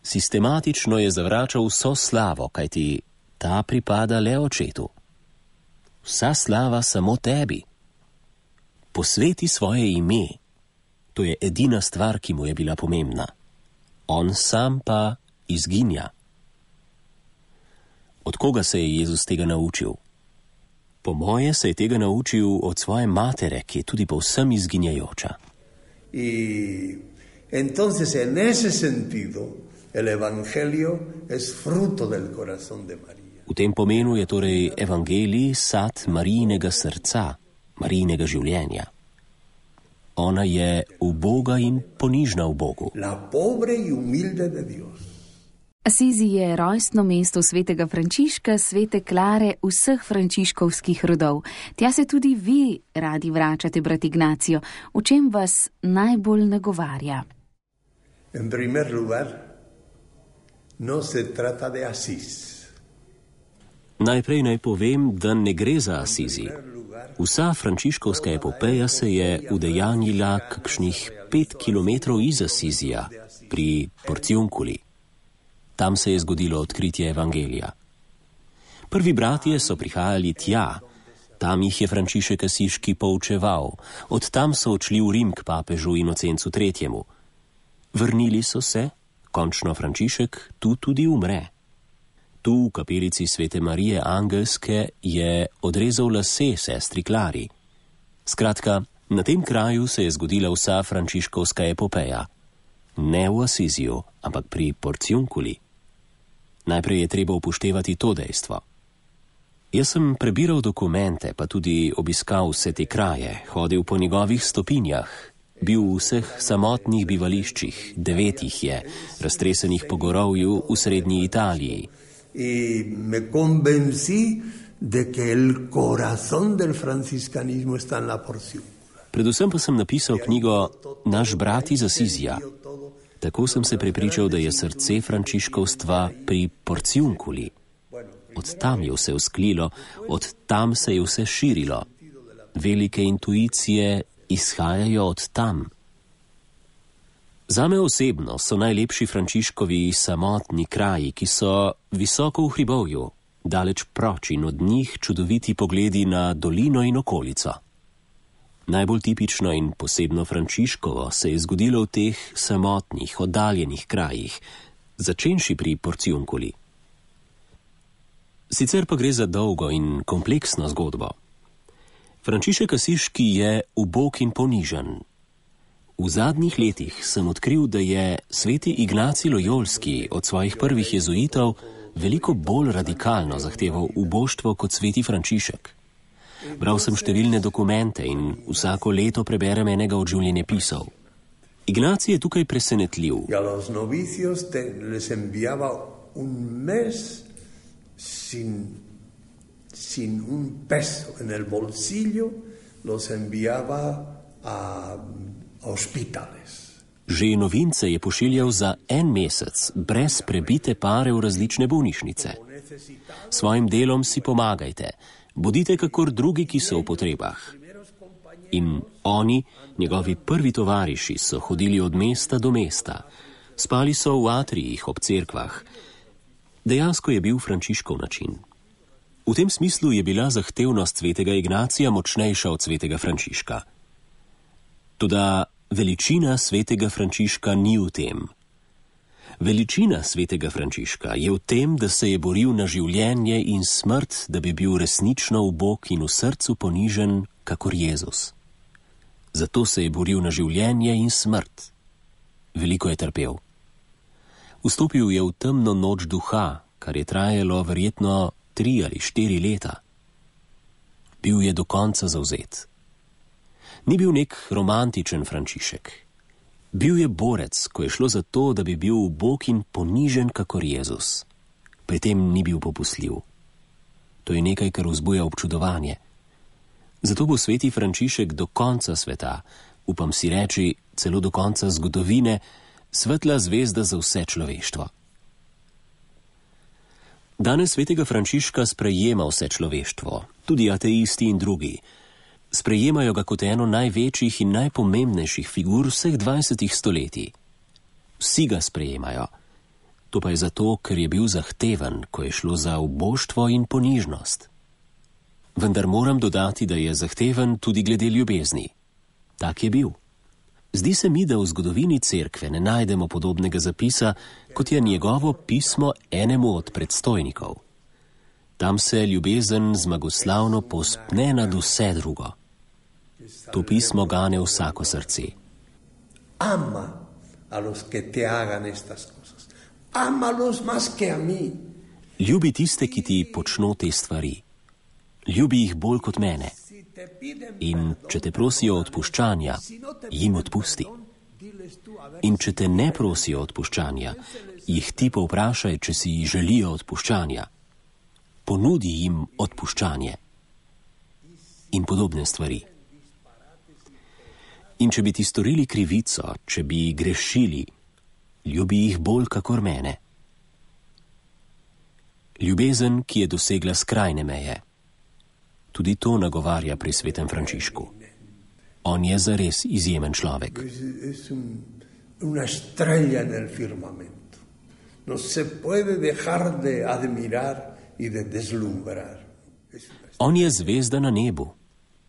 Sistematično je zavračal vso slavo, kajti ta pripada le očetu. Vsa slava samo tebi. Posveti svoje ime. To je edina stvar, ki mu je bila pomembna. On sam pa izginja. Od koga se je Jezus tega naučil? Po moje se je tega naučil od svoje matere, ki je tudi povsem izginjajoča. Y entonces en ese sentido el evangelio es fruto del corazón de María. V tem pomenu je torej evangelij sad Marijinega srca, Marijinega življenja. Ona je uboga in ponižna v Bogu. La pobre y humilde de Dios. Asizi je rojstno mesto svetega Frančiška, svete Klare, vseh frančiškovskih rodov. Tja se tudi vi radi vračate, brat Ignacio. V čem vas najbolj nagovarja? En primer lugar, no se trata de Asís. Najprej naj povem, da ne gre za Asizi. Vsa frančiškovska epopeja se je udejanjila kakšnih pet kilometrov iz Asizija, pri Porciunculi. Tam se je zgodilo odkritje evangelija. Prvi bratje so prihajali tja, tam jih je Frančišek Asiški poučeval, od tam so odšli v Rim k papežu Inocencu tretjemu. Vrnili so se, končno Frančišek tu tudi umre. Tu v kapelici Svete Marije Angelske je odrezal lase sestri Klari. Skratka, na tem kraju se je zgodila vsa frančiškovska epopeja. Ne v Asiziju, ampak pri Porciunculi. Najprej je treba upoštevati to dejstvo. Jaz sem prebiral dokumente, pa tudi obiskal vse te kraje, hodil po njegovih stopinjah, bil v vseh samotnih bivališčih, devet jih je, raztresenih po gorovju v srednji Italiji. In me convencí de que el corazón del franciscanismo está en la Porciuncula. Predvsem pa sem napisal knjigo Naš brat iz Asizija. Tako sem se prepričal, da je srce frančiškovstva pri Porciunculi. Od tam je vse vzklilo, od tam se je vse širilo. Velike intuicije izhajajo od tam. Zame osebno so najlepši Frančiškovi samotni kraji, ki so visoko v hribovju, daleč proč in od njih čudoviti pogledi na dolino in okolico. Najbolj tipično in posebno Frančiškovo se je zgodilo v teh samotnih, oddaljenih krajih, začenši pri Porciunculi. Sicer pa gre za dolgo in kompleksno zgodbo. Frančišek Asiški je ubog in ponižen. V zadnjih letih sem odkril, da je sveti Ignacij Lojolski od svojih prvih jezuitov veliko bolj radikalno zahteval uboštvo kot sveti Frančišek. Bral sem številne dokumente in vsako leto preberem enega od življenjepisov. Ignacij je tukaj presenetljiv. A los novicios te, les enviaba un mes sin, sin un peso en el bolsillo, los enviaba a hospitales. Že novince je pošiljal za en mesec, brez prebite pare v različne bolnišnice. Svojim delom si pomagajte, bodite kakor drugi, ki so v potrebah. In oni, njegovi prvi tovariši, so hodili od mesta do mesta. Spali so v atrijih ob cerkvah. Dejansko je bil Frančiškov način. V tem smislu je bila zahtevnost svetega Ignacija močnejša od svetega Frančiška. Toda veličina svetega Frančiška ni v tem. Veličina svetega Frančiška je v tem, da se je boril na življenje in smrt, da bi bil resnično ubog in v srcu ponižen, kakor Jezus. Zato se je boril na življenje in smrt. Veliko je trpel. Vstopil je v temno noč duha, kar je trajalo verjetno tri ali štiri leta. Bil je do konca zavzet. Ni bil nek romantičen Frančišek. Bil je borec, ko je šlo za to, da bi bil ubog in ponižen kakor Jezus. Pri tem ni bil popustljiv. To je nekaj, kar vzbuja občudovanje. Zato bo sveti Frančišek do konca sveta, upam si reči, celo do konca zgodovine, svetla zvezda za vse človeštvo. Danes svetega Frančiška sprejema vse človeštvo, tudi ateisti in drugi. Sprejemajo ga kot eno največjih in najpomembnejših figur vseh dvajsetih stoletij. Vsi ga sprejemajo. To pa je zato, ker je bil zahteven, ko je šlo za uboštvo in ponižnost. Vendar moram dodati, da je zahteven tudi glede ljubezni. Tak je bil. Zdi se mi, da v zgodovini cerkve ne najdemo podobnega zapisa, kot je njegovo pismo enemu od predstojnikov. Tam se ljubezen zmagoslavno povzpne nad vse drugo. To pismo gane vsako srce. Ama a los que te hagan estas cosas. Amalos más que a mí. Ljubi tiste, ki ti počno te stvari. Ljubi jih bolj kot mene. In če te prosijo odpuščanja, jim odpusti. In če te ne prosijo odpuščanja, jih ti povprašaj, če si želijo odpuščanja. Ponudi jim odpuščanje. In podobne stvari. In če bi ti storili krivico, če bi grešili, ljubi jih bolj kakor mene. ljubezen, ki je dosegla skrajne meje. Tudi to nagovarja pri svetem Frančišku. On je zares izjemen človek. Una estrella en el firmamento. No se puede dejar de admirar y de deslumbrar. On je zvezda na nebu.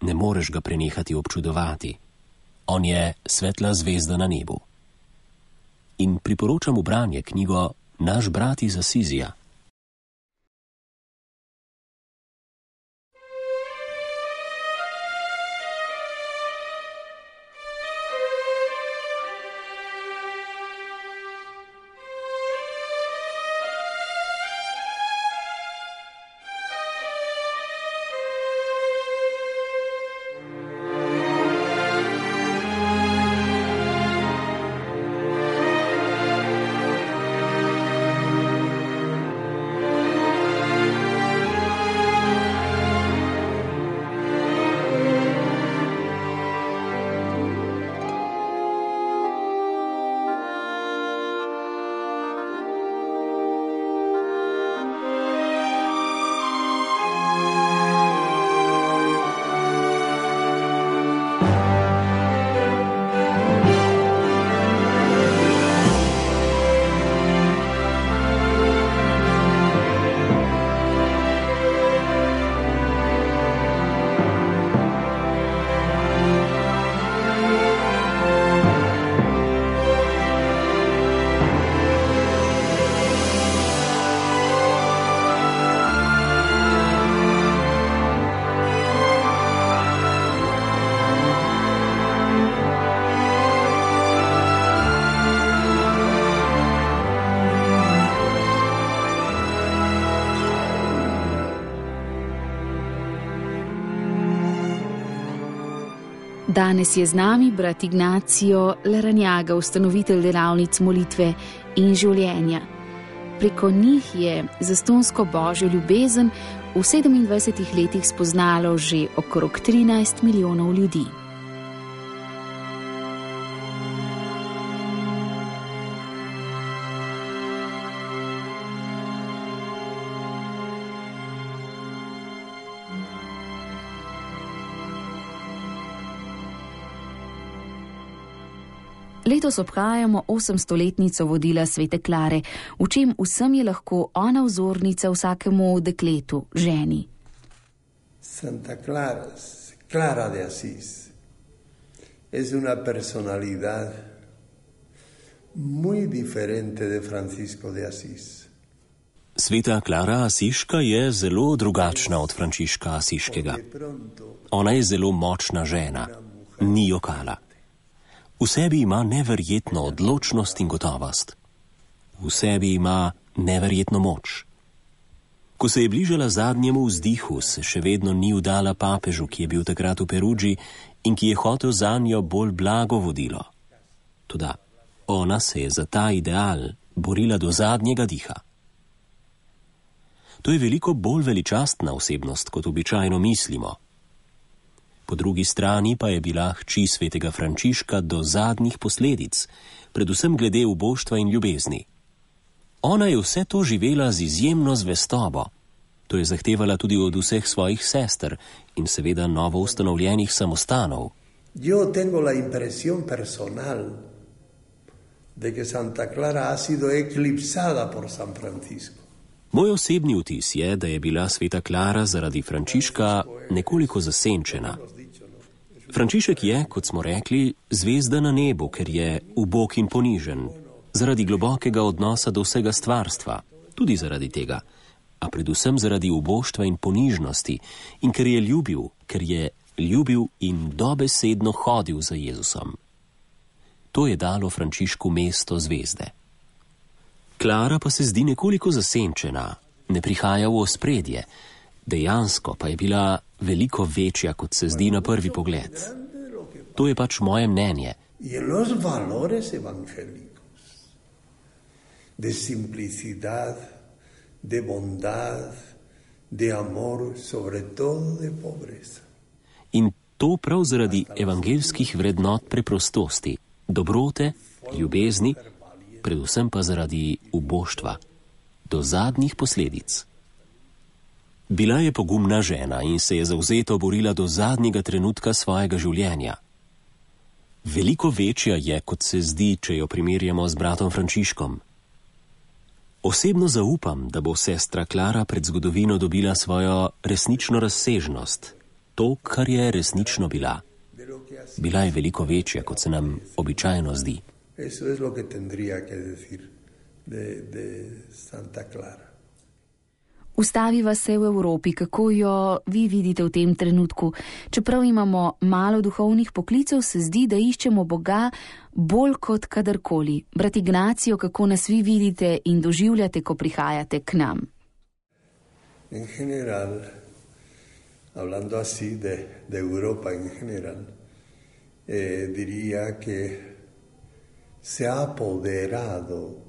Ne moreš ga prenehati občudovati. On je svetla zvezda na nebu. In priporočam v branje knjigo Naš brat iz Asizija. Danes je z nami brat Ignacio Larrañaga, ustanovitelj delavnic molitve in življenja. Preko njih je zastonsko božjo ljubezen v sedemindvajsetih letih spoznalo že okrog trinajst milijonov ljudi. Letos obhajamo osemstoletnico vodila svete Klare, v čem vsem je lahko ona vzornica vsakemu dekletu, ženi. Santa Clara, Clara de Asís, es una personalidad muy diferente de Francisco de Asís. Sveta Klara Asiška je zelo drugačna od Frančiška Asiškega. Ona je zelo močna žena, ni jokala. V sebi ima neverjetno odločnost in gotovost. V sebi ima neverjetno moč. Ko se je bližala zadnjemu vzdihu, se še vedno ni vdala papežu, ki je bil takrat v Perugii in ki je hotel zanjo bolj blago vodilo. Toda ona se je za ta ideal borila do zadnjega diha. To je veliko bolj veličastna osebnost, kot običajno mislimo. Po drugi strani pa je bila hči svetega Frančiška do zadnjih posledic, predvsem glede uboštva in ljubezni. Ona je vse to živela z izjemno zvestobo. To je zahtevala tudi od vseh svojih sester in seveda novo ustanovljenih samostanov. Yo tengo la impresión personal de que Santa Clara ha sido eclipsada por San Francisco. Moj osebni vtis je, da je bila sveta Klara zaradi Frančiška nekoliko zasenčena. Frančišek je, kot smo rekli, zvezda na nebu, ker je ubog in ponižen, zaradi globokega odnosa do vsega stvarstva, tudi zaradi tega, a predvsem zaradi uboštva in ponižnosti in ker je ljubil, ker je ljubil in dobesedno hodil za Jezusom. To je dalo Frančišku mesto zvezde. Klara pa se zdi nekoliko zasenčena, ne prihaja v ospredje, dejansko pa je bila veliko večja, kot se zdi na prvi pogled. To je pač moje mnenje. Y en los valores evangélicos, de simplicidad, de bondad, de amor, sobre todo de pobreza. In to prav zaradi evangeljskih vrednot preprostosti, dobrote, ljubezni, predvsem pa zaradi uboštva, do zadnjih posledic. Bila je pogumna žena in se je zavzeto borila do zadnjega trenutka svojega življenja. Veliko večja je, kot se zdi, če jo primerjamo z bratom Frančiškom. Osebno zaupam, da bo sestra Klara pred zgodovino dobila svojo resnično razsežnost, to, kar je resnično bila. Bila je veliko večja, kot se nam običajno zdi. Eso es lo que tendría que decir de, de Santa Clara. Ustaviva se v Evropi, kako jo vi vidite v tem trenutku. Čeprav imamo malo duhovnih poklicev, se zdi, da iščemo Boga bolj kot kadarkoli. Brat Ignacio, kako nas vi vidite in doživljate, ko prihajate k nam? En general, hablando así de, de Europa en general, eh, diría que se ha apoderado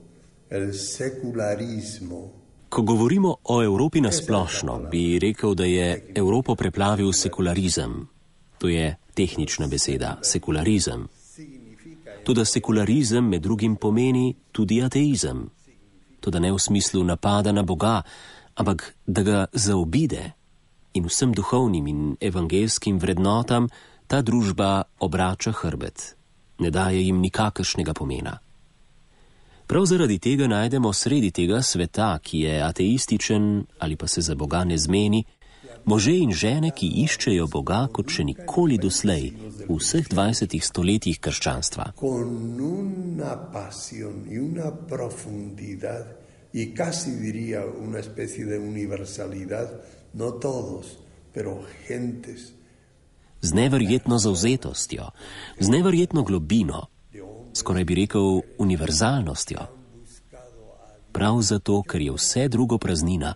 el secularismo. Ko govorimo o Evropi nasplošno, bi rekel, da je Evropo preplavil sekularizem. To je tehnična beseda, sekularizem. Toda sekularizem med drugim pomeni tudi ateizem. Toda ne v smislu napada na Boga, ampak da ga zaobide in vsem duhovnim in evangelskim vrednotam ta družba obrača hrbet. Ne daje jim nikakršnega pomena. Prav zaradi tega najdemo sredi tega sveta, ki je ateističen ali pa se za Boga ne zmeni, može in žene, ki iščejo Boga kot še nikoli doslej v vseh dvajsetih stoletjih krščanstva. Con una pasión y una profundidad y casi diría una especie de universalidad, no todos, pero gentes. Z neverjetno zavzetostjo, z neverjetno globino, skoraj bi rekel univerzalnostjo. Prav zato, ker je vse drugo praznina,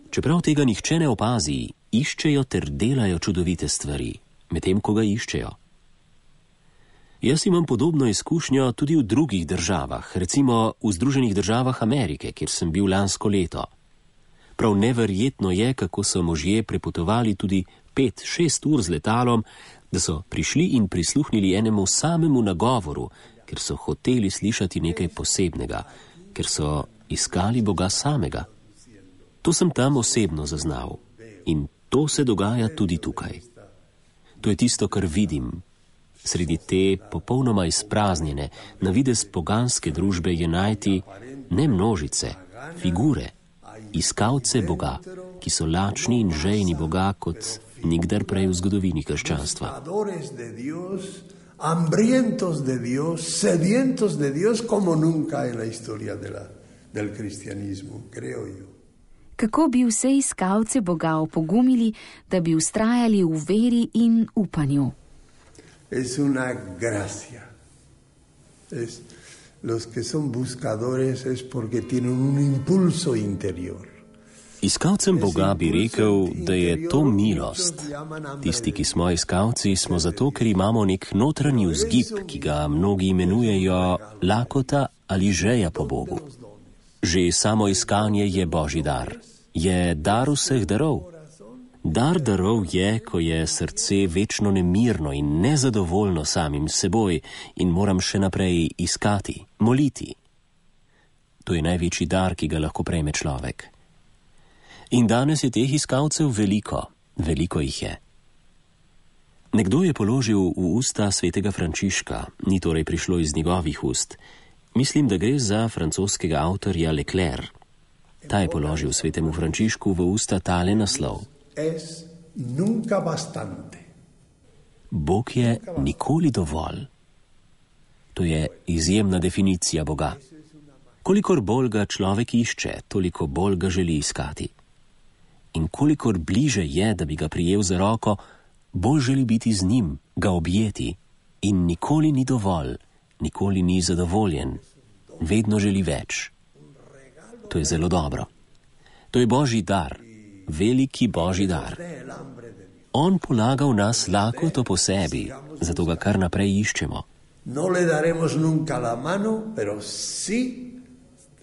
čeprav tega nihče ne opazi, iščejo ter delajo čudovite stvari, medtem ko ga iščejo. Jaz imam podobno izkušnjo tudi v drugih državah, recimo v Združenih državah Amerike, kjer sem bil lansko leto. Prav neverjetno je, kako so možje prepotovali tudi pet, šest ur z letalom, da so prišli in prisluhnili enemu samemu nagovoru, ker so hoteli slišati nekaj posebnega, ker so iskali Boga samega. To sem tam osebno zaznal in to se dogaja tudi tukaj. To je tisto, kar vidim. Sredi te popolnoma izpraznjene, na videz poganske družbe je najti ne množice, figure, iskalce Boga, ki so lačni in žejni Boga kot nikdar prej v zgodovini krščanstva. Hambrientos de Dios, sedientos de Dios, como nunca en la historia de la, del cristianismo, creo yo. Kako bi vse iskalce Boga opogumili, da bi ustrajali v veri in upanju? Es una gracia. Es, los que son buscadores es porque tienen un impulso interior. Iskalcem Boga bi rekel, da je to milost. Tisti, ki smo iskalci, smo zato, ker imamo nek notranji vzgib, ki ga mnogi imenujejo lakota ali žeja po Bogu. Že samo iskanje je Božji dar. Je dar vseh darov. Dar darov je, ko je srce večno nemirno in nezadovoljno samim seboj in moram še naprej iskati, moliti. To je največji dar, ki ga lahko prejme človek. In danes je teh iskalcev veliko, veliko jih je. Nekdo je položil v usta svetega Frančiška, ni torej prišlo iz njegovih ust. Mislim, da gre za francoskega avtorja Leclerc. Ta je položil svetemu Frančišku v usta tale naslov. Es nunca bastante. Bog je nikoli dovolj. To je izjemna definicija Boga. Kolikor bolj ga človek išče, toliko bolj ga želi iskati. In kolikor bliže je, da bi ga prijel za roko, bolj želi biti z njim, ga objeti. In nikoli ni dovolj, nikoli ni zadovoljen, vedno želi več. To je zelo dobro. To je Božji dar, veliki Božji dar. On polaga v nas lakoto po sebi, zato ga kar naprej iščemo. No le daremos nunca la mano, pero sí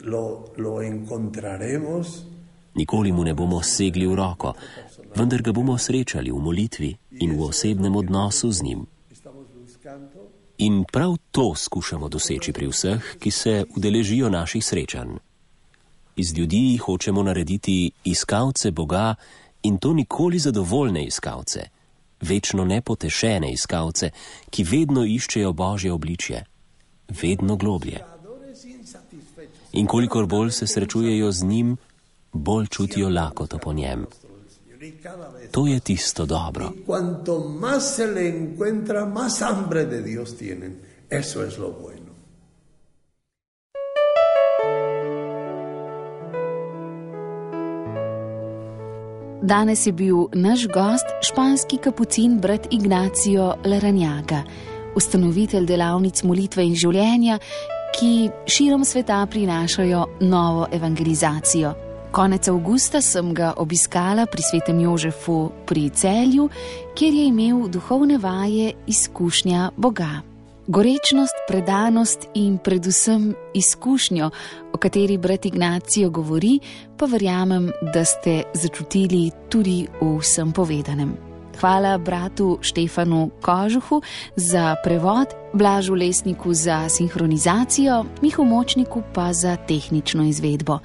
lo, lo encontraremos. Nikoli mu ne bomo segli v roko, vendar ga bomo srečali v molitvi in v osebnem odnosu z njim. In prav to skušamo doseči pri vseh, ki se udeležijo naših srečanj. Iz ljudi hočemo narediti iskalce Boga In to nikoli zadovoljne iskalce, večno nepotešene iskalce, ki vedno iščejo Božje obličje, vedno globlje. In kolikor bolj se srečujejo z njim, bolj čutijo lakoto po njem. To je tisto dobro. Cuanto más se le encuentra, más hambre de Dios tienen. Eso es lo bueno. Danes je bil naš gost španski kapucin brat Ignacio Larrañaga, ustanovitelj delavnic molitve in življenja, ki širom sveta prinašajo novo evangelizacijo. Konec avgusta sem ga obiskala pri svetem Jožefu pri Celju, kjer je imel duhovne vaje izkušnja Boga. Gorečnost, predanost in predvsem izkušnjo, o kateri brat Ignacio govori, pa verjamem, da ste začutili tudi v vsem povedanem. Hvala bratu Štefanu Kožuhu za prevod, Blažu Lesniku za sinhronizacijo, Mihu Močniku pa za tehnično izvedbo.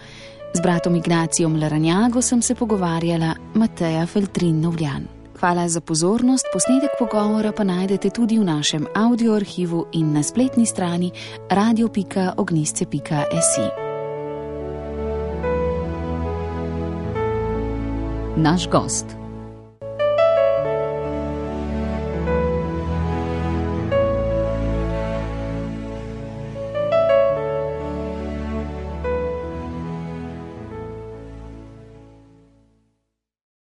Z bratom Ignacijom Larrañago sem se pogovarjala Mateja Feltrin-Novljan. Hvala za pozornost, posnetek pogovora pa najdete tudi v našem audioarhivu in na spletni strani radio pika ognjisce pika si. Naš gost.